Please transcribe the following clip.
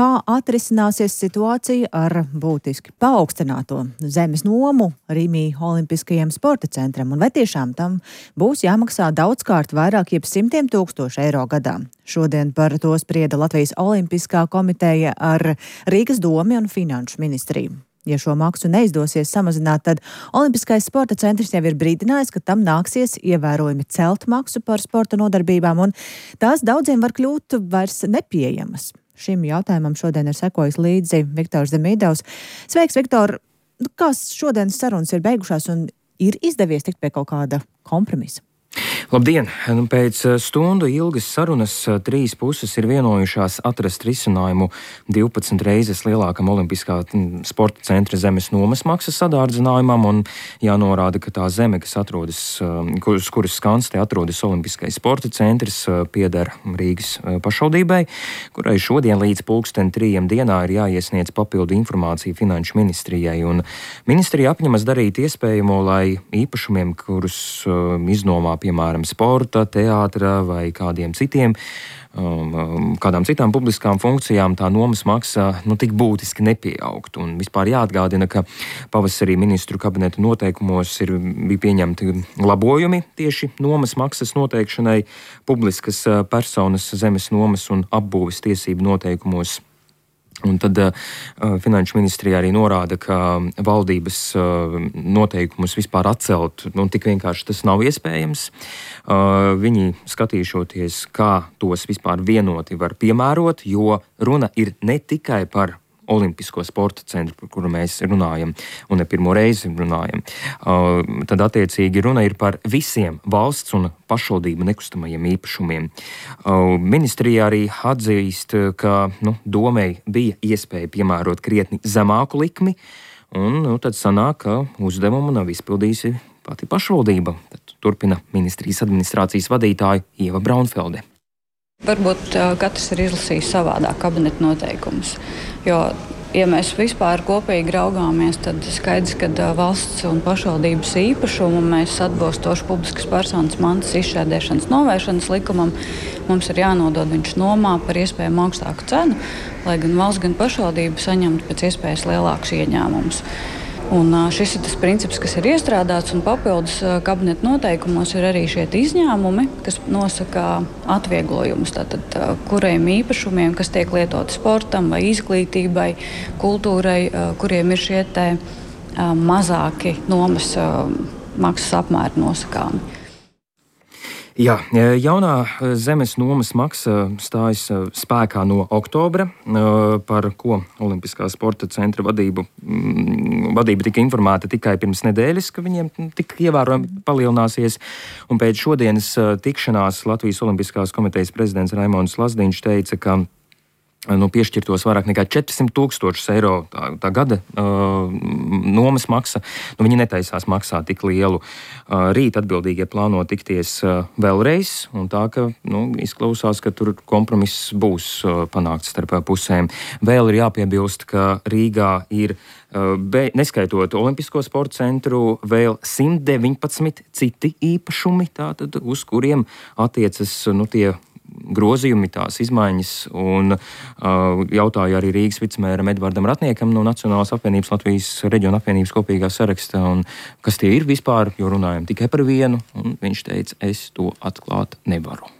Kā atrisināsies situācija ar būtiski paaugstināto zemes nomu Rīmī Olimpiskajam sporta centram, un vai tiešām tam būs jāmaksā daudzkārt vairāk, jeb simtiem tūkstošu eiro gadā? Šodien par to sprieda Latvijas Olimpiskā komiteja ar Rīgas domi un Finanšu ministriju. Ja šo maksu neizdosies samazināt, tad Olimpiskais sporta centrs jau ir brīdinājis, ka tam nāksies ievērojami celt maksu par sporta nodarbībām, un tās daudziem var kļūt vairs nepieejamas. Šim jautājumam šodien ir sekojis līdzi Viktors Demidovs. Sveiks, Viktor! Kā šodienas sarunas ir beigušās un ir izdevies tikt pie kaut kāda kompromisa? Labdien! Pēc stundu ilgas sarunas trīs puses ir vienojušās atrast risinājumu 12 reizes lielākam Olimpiskā sporta centra zemes nomas maksas sadārdzinājumam, un jānorāda, ka tā zeme, kas atrodas, kuras skanstē atrodas Olimpiskais sporta centrs, pieder Rīgas pašvaldībai, kurai šodien līdz 3:00 dienā ir jāiesniedz papildu informācija Finanšu ministrijai, un ministrija apņemas darīt iespējamo, lai īpašumiem, kurus iznomā piemēram sporta, teātra vai kādām citām publiskām funkcijām, tā nomas maksa tik būtiski nepieaugtu. Un vispār jāatgādina, ka pavasarī ministru kabineta noteikumos bija pieņemti labojumi tieši nomas maksas noteikšanai publiskas personas zemes nomas un apbūves tiesību noteikumos. Un tad Finanšu ministrija arī norāda, ka valdības noteikumus vispār atcelt, tik vienkārši tas nav iespējams. Viņi skatīšoties, kā tos vispār vienoti var piemērot, jo runa ir ne tikai par Olimpisko sporta centru, par kuru mēs runājam, un ne pirmo reizi runājam. Tad attiecīgi runa ir par visiem valsts un pašvaldību nekustamajiem īpašumiem. Ministrija arī atzīst, ka domei bija iespēja piemērot krietni zemāku likmi, un tad sanāk, ka uzdevumu nav izpildījusi pati pašvaldība. Tad turpina ministrijas administrācijas vadītāja Ieva Braunfelde. Varbūt katrs ir izlasījis savādāk kabineta noteikumus, jo, ja mēs vispār kopīgi raugāmies, tad skaidrs, ka valsts un pašvaldības īpašumu mēs atbilstoši publiskas personas mantas izšķērdēšanas novēršanas likumam, mums ir jānodod viņš nomā par iespējami augstāku cenu, lai gan valsts, gan pašvaldība saņemtu pēc iespējas lielākus ieņēmumus. Un šis ir tas princips, kas ir iestrādāts, un papildus kabineta noteikumos ir arī šie izņēmumi, kas nosaka atvieglojumus, tātad kuriem īpašumiem, kas tiek lietoti sportam vai izglītībai, kultūrai, kuriem ir šie mazāki nomas maksas apmēri nosakāmi. Jā, jaunā zemes nomas maksa stājas spēkā no oktobra, par ko Olimpiskā sporta centra vadība tika informēta tikai pirms nedēļas, ka viņiem tik ievērojami palielināsies. Un pēc šodienas tikšanās Latvijas Olimpiskās komitejas prezidents Raimonds Lazdiņš teica, ka piešķirtos vairāk nekā 400 000 eiro tā gada nomas maksa. Viņi netaisās maksāt tik lielu. Rīt atbildīgie plāno tikties vēlreiz, un tā, ka izklausās, ka tur kompromiss būs panākts starp pusēm. Vēl ir jāpiebilst, ka Rīgā ir, neskaitot Olimpisko sporta centru, vēl 119 citi īpašumi, tātad, uz kuriem attiecas tie grozījumi, tās izmaiņas, un jautāja arī Rīgas vicemēram Edvardam Ratniekam no Nacionālās apvienības Latvijas reģiona apvienības kopīgā saraksta, un kas tie ir vispār, jo runājam tikai par vienu, un viņš teica, es to atklāt nevaru.